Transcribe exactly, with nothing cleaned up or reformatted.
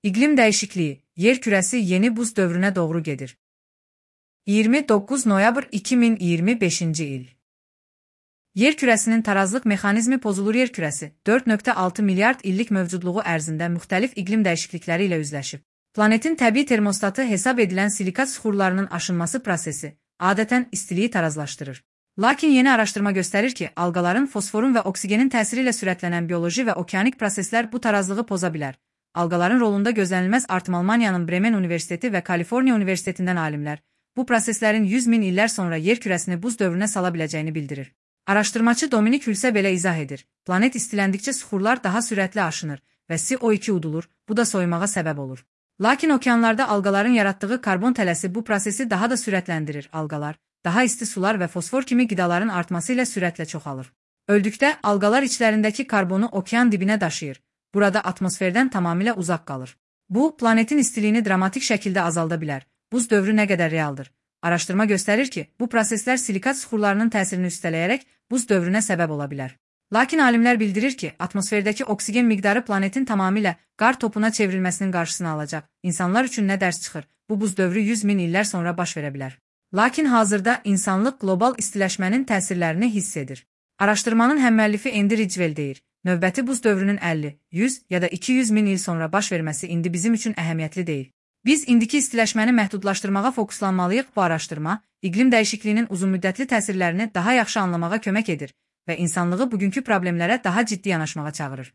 İqlim dəyişikliyi, yer kürəsi yeni buz dövrünə doğru gedir. iyirmi doqquz noyabr iki min iyirmi beşinci il. Yer kürəsinin tarazlıq mexanizmi pozulur. Yer kürəsi dörd nöqtə altı milyard illik mövcudluğu ərzində müxtəlif iqlim dəyişiklikləri ilə üzləşib. Planetin təbii termostatı hesab edilən silikat süxurlarının aşınması prosesi adətən istiliyi tarazlaşdırır. Lakin yeni araşdırma göstərir ki, alqaların fosforun və oksigenin təsiri ilə sürətlənən bioloji və okeanik proseslər bu tarazlığı poza bilər. Alqaların rolunda gözlənilməz artım. Almaniyanın Bremen Universiteti və Kaliforniya Universitetindən alimlər bu proseslərin yüz min illər sonra yer kürəsini buz dövrünə sala biləcəyini bildirir. Araşdırmacı Dominik Hülsə belə izah edir. Planet istiləndikcə süxurlar daha sürətli aşınır və C O iki udulur, bu da soyumağa səbəb olur. Lakin okeanlarda alqaların yaratdığı karbon tələsi bu prosesi daha da sürətləndirir. Alqalar daha isti sular və fosfor kimi qidaların artması ilə sürətlə çoxalır. Öldükdə alqalar içlərindəki karbonu okean dibinə daşıyır. Burada atmosferdən tamamilə uzaq qalır. Bu, planetin istiliyini dramatik şəkildə azalda bilər. Buz dövrü nə qədər realdır? Araşdırma göstərir ki, bu proseslər silikat süxurlarının təsirini üstələyərək buz dövrünə səbəb ola bilər. Lakin alimlər bildirir ki, atmosferdəki oksigen miqdarı planetin tamamilə qar topuna çevrilməsinin qarşısını alacaq. İnsanlar üçün nə dərs çıxır? Bu buz dövrü yüz min illər sonra baş verə bilər. Lakin hazırda insanlıq qlobal istiləşmənin təsirlərini hiss edir. Araşdırmanın həmməllifi Andy Ridgwell deyir. Növbəti buz dövrünün əlli, yüz ya da iki yüz min il sonra baş verməsi indi bizim üçün əhəmiyyətli deyil. Biz indiki istiləşməni məhdudlaşdırmağa fokuslanmalıyıq. Bu araşdırma, iqlim dəyişikliyinin uzunmüddətli təsirlərini daha yaxşı anlamağa kömək edir və insanlığı bugünkü problemlərə daha ciddi yanaşmağa çağırır.